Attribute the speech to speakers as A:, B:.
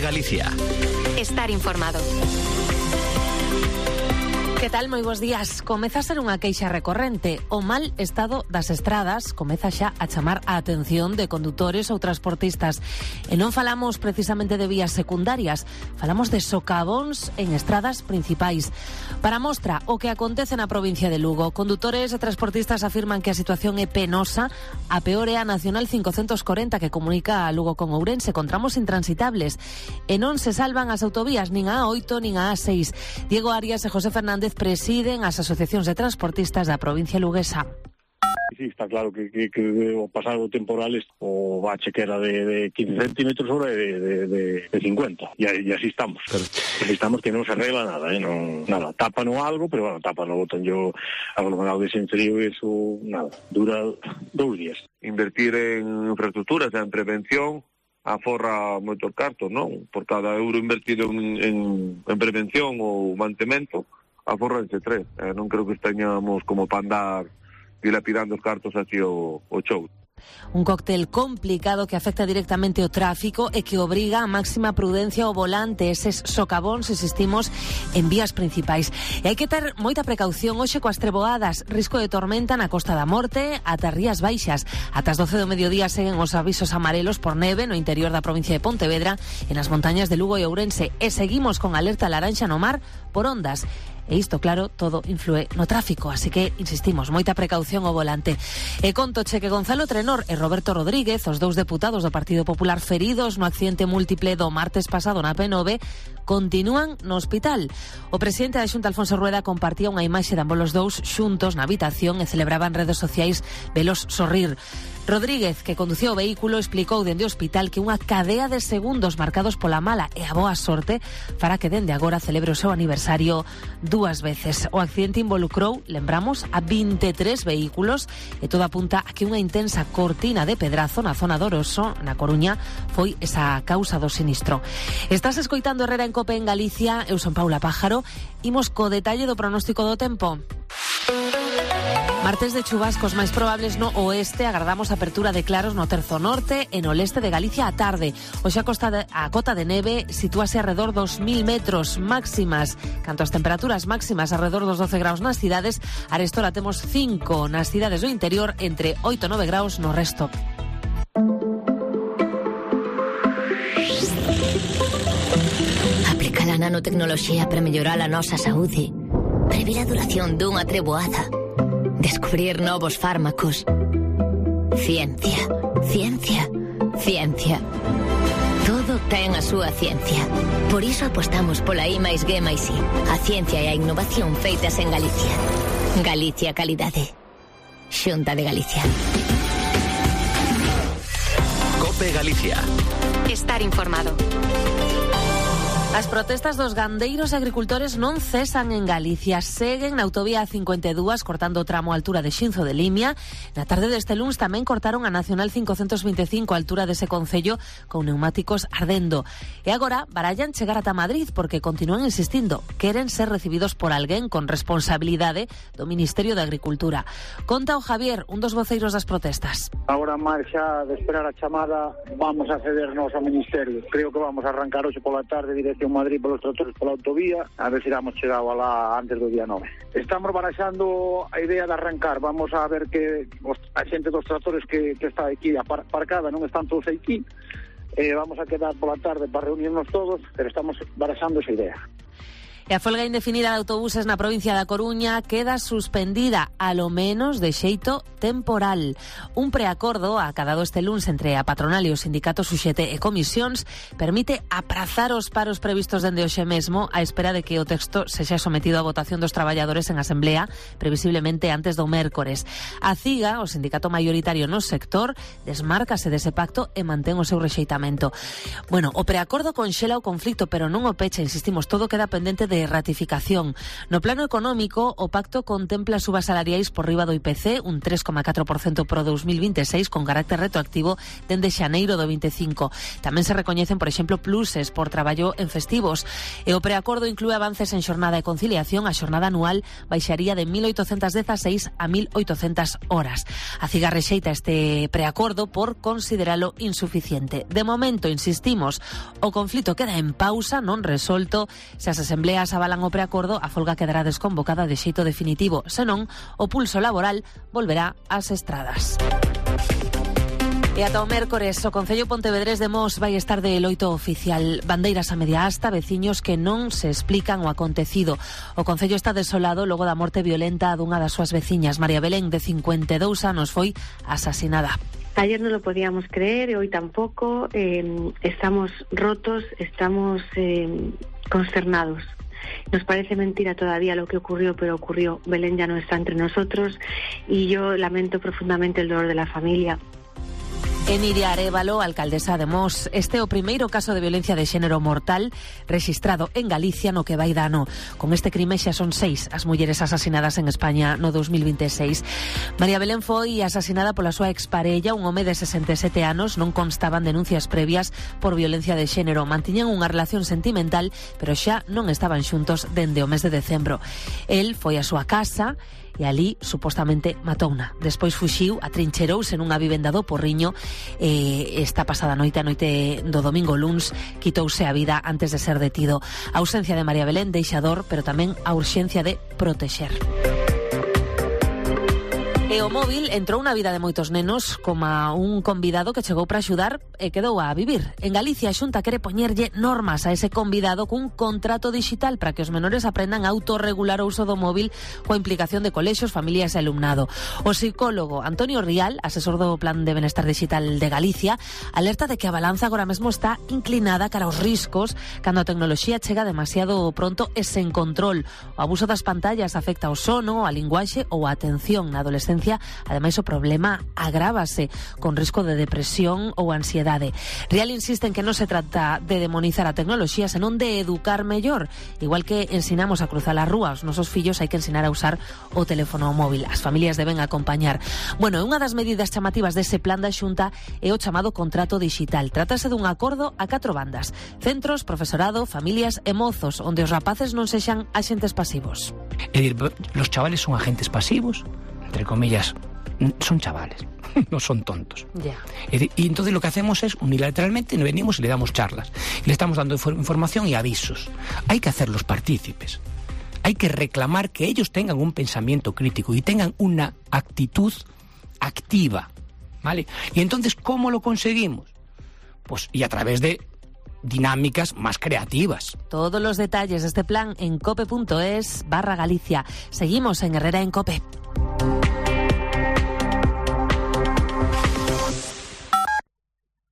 A: Galicia.
B: Estar informado.
C: Que tal? Moi bons días. Comeza a ser unha queixa recorrente. O mal estado das estradas comeza xa a chamar a atención de condutores ou transportistas. E non falamos precisamente de vías secundarias, falamos de socavóns en estradas principais. Para mostra o que acontece na provincia de Lugo, condutores e transportistas afirman que a situación é penosa. A peor é a Nacional 540 que comunica a Lugo con Ourense con tramos intransitables. E non se salvan as autovías nin a A8 nin a A6. Diego Arias e José Fernández presiden as asociacións de transportistas da provincia luguesa.
D: Sí, está claro que o pasado temporal o bache que era de 15 centímetros ahora de 50 e así estamos. Así estamos que non se arregla nada, nada, tápano algo, pero bueno, tápano, botan yo aglomerado de frío e eso, nada, dura 2 días.
E: Invertir en infraestructuras, en prevención, aforra moitos cartos, non? Por cada euro invertido en prevención ou mantemento, aforranse 3. Non creo que esteñamos como para andar dilapidando os cartos así o show.
C: Un cóctel complicado que afecta directamente o tráfico e que obriga a máxima prudencia ao volante. Eses socavóns, insistimos, en vías principais. E hai que ter moita precaución hoxe coas treboadas. Risco de tormenta na Costa da Morte ata Rías Baixas. Ata as 12 do mediodía seguen os avisos amarelos por neve no interior da provincia de Pontevedra e nas montañas de Lugo e Ourense. E seguimos con alerta laranxa no mar por ondas. E isto, claro, todo influe no tráfico, así que, insistimos, moita precaución ao volante. E contoche que Gonzalo Trenor e Roberto Rodríguez, os 2 deputados do Partido Popular feridos no accidente múltiple do martes pasado na P9, continúan no hospital. O presidente da Xunta, Alfonso Rueda, compartía unha imaxe de ambos os dous xuntos na habitación e celebraba en redes sociais velos sorrir. Rodríguez, que conducía o vehículo, explicou dende o hospital que unha cadea de segundos marcados pola mala e a boa sorte fará que dende agora celebre o seu aniversario 2 veces. O accidente involucrou, lembramos, a 23 vehículos e todo apunta a que unha intensa cortina de pedrazo na zona do Oroso, na Coruña, foi esa causa do sinistro. Estás escoitando Herrera en Cope en Galicia, eu son Paula Pájaro, imos co detalle do pronóstico do tempo. Martes de chubascos máis probables no oeste, agardamos apertura de claros no terzo norte e no leste de Galicia á tarde. Hoxe a cota de neve sitúase alrededor dos 1000 metros máximas. Canto as temperaturas máximas alrededor dos 12 graus nas cidades, arestora temos 5 nas cidades do interior, entre 8 e 9 graus no resto.
F: Aplica a nanotecnoloxía para mellorar a nosa saúde, previr a duración dunha treboada, descubrir novos fármacos. Ciencia, ciencia, ciencia. Todo ten a súa ciencia. Por iso apostamos pola I+G+I, a ciencia e a innovación feitas en Galicia. Galicia Calidade. Xunta de Galicia.
A: Cope Galicia.
B: Estar informado.
C: As protestas dos gandeiros e agricultores non cesan en Galicia. Seguen na autovía 52 cortando o tramo a altura de Xinzo de Limia. Na tarde deste luns tamén cortaron a Nacional 525 a altura dese concello con neumáticos ardendo. E agora barallan chegar ata Madrid porque continúan insistindo. Queren ser recibidos por alguén con responsabilidade do Ministerio de Agricultura. Conta o Javier, un dos voceiros das protestas.
G: Agora máis xa de esperar a chamada vamos a cedernos ao Ministerio. Creo que vamos a arrancar hoxe pola tarde dirección Madrid polos tractores pola autovía, a ver se damos chegado alá antes do día 9. Estamos baraxando a idea de arrancar, vamos a ver que a xente dos tractores que está aquí aparcada non están todos aquí, vamos a quedar pola tarde para reunirnos todos, pero estamos baraxando esa idea.
C: E a folga indefinida de autobuses na provincia da Coruña queda suspendida, alo menos de xeito temporal. Un preacordo acadado este luns entre a patronal e os sindicatos UGT e comisións permite aprazar os paros previstos dende hoxe mesmo á espera de que o texto sexa sometido a votación dos traballadores en asemblea, previsiblemente antes do mércores. A CIGA, o sindicato maioritario no sector, desmárcase dese pacto e mantén o seu rexeitamento. Bueno, o preacordo conxela o conflito, pero non o pecha, insistimos, todo queda pendente de de ratificación. No plano económico, o pacto contempla subas salariais por riba do IPC, un 3,4% pro 2026, con carácter retroactivo dende xaneiro do 25. Tamén se recoñecen, por exemplo, pluses por traballo en festivos. E o preacordo inclúe avances en xornada e conciliación. A xornada anual baixaría de 1.816 a 1.800 horas. A CIGA rexeita este preacordo por consideralo insuficiente. De momento, insistimos, o conflito queda en pausa, non resolto. Se as asembleas avalan o preacordo, a folga quedará desconvocada de xeito definitivo. Senón, o pulso laboral volverá ás estradas. E ata o mércores, o Concello Pontevedrés de Mos vai estar de loito oficial. Bandeiras a media asta, veciños que non se explican o acontecido. O Concello está desolado logo da morte violenta dunha das súas veciñas. María Belén, de 52 anos, foi asasinada.
H: Ayer no lo podíamos creer, hoy tampoco. Estamos rotos, estamos consternados. Nos parece mentira todavía lo que ocurrió, pero ocurrió. Belén ya no está entre nosotros y yo lamento profundamente el dolor de la familia.
C: Emilia Arévalo, alcaldesa de Mos. Este é o primeiro caso de violencia de xénero mortal rexistrado en Galicia no que vai de ano. Con este crime xa son 6 as mulleres asasinadas en España no 2026. María Belén foi asasinada pola súa exparella, un home de 67 anos. Non constaban denuncias previas por violencia de xénero. Mantiñan unha relación sentimental, pero xa non estaban xuntos dende o mes de decembro. El foi á súa casa e ali supostamente matouna. Despois fuxiu, atrincherouse nunha vivenda do Porriño e esta pasada noite, a noite do domingo luns, quitouse a vida antes de ser detido. A ausencia de María Belén deixa dor, pero tamén a urxencia de protexer. E o móvil entrou na vida de moitos nenos como un convidado que chegou para axudar e quedou a vivir. En Galicia a Xunta quere poñerlle normas a ese convidado cun contrato digital para que os menores aprendan a autorregular o uso do móvil coa implicación de colexios, familias e alumnado. O psicólogo Antonio Rial, asesor do Plan de Benestar Digital de Galicia, alerta de que a balanza agora mesmo está inclinada cara aos riscos cando a tecnoloxía chega demasiado pronto e sen control. O abuso das pantallas afecta ao sono, a linguaxe ou a atención na adolescencia. Ademais, o problema agrávase con risco de depresión ou ansiedade. Rial insiste en que non se trata de demonizar a tecnoloxía, senón de educar mellor. Igual que ensinamos a cruzar a rúa, os nosos fillos hai que ensinar a usar o teléfono móvil. As familias deben acompañar. Bueno, unha das medidas chamativas dese plan da Xunta é o chamado contrato digital. Trátase dun acordo a 4 bandas: centros, profesorado, familias e mozos, onde os rapaces non sexan axentes pasivos.
I: É dicir, los chavales son agentes pasivos, entre comillas, son chavales, no son tontos.
C: Yeah.
I: Y entonces lo que hacemos es unilateralmente venimos y le damos charlas, y le estamos dando información y avisos. Hay que hacerlos partícipes, hay que reclamar que ellos tengan un pensamiento crítico y tengan una actitud activa, ¿vale? Y entonces, ¿cómo lo conseguimos? Pues y a través de dinámicas más creativas.
C: Todos los detalles de este plan en cope.es/Galicia. Seguimos en Herrera en Cope.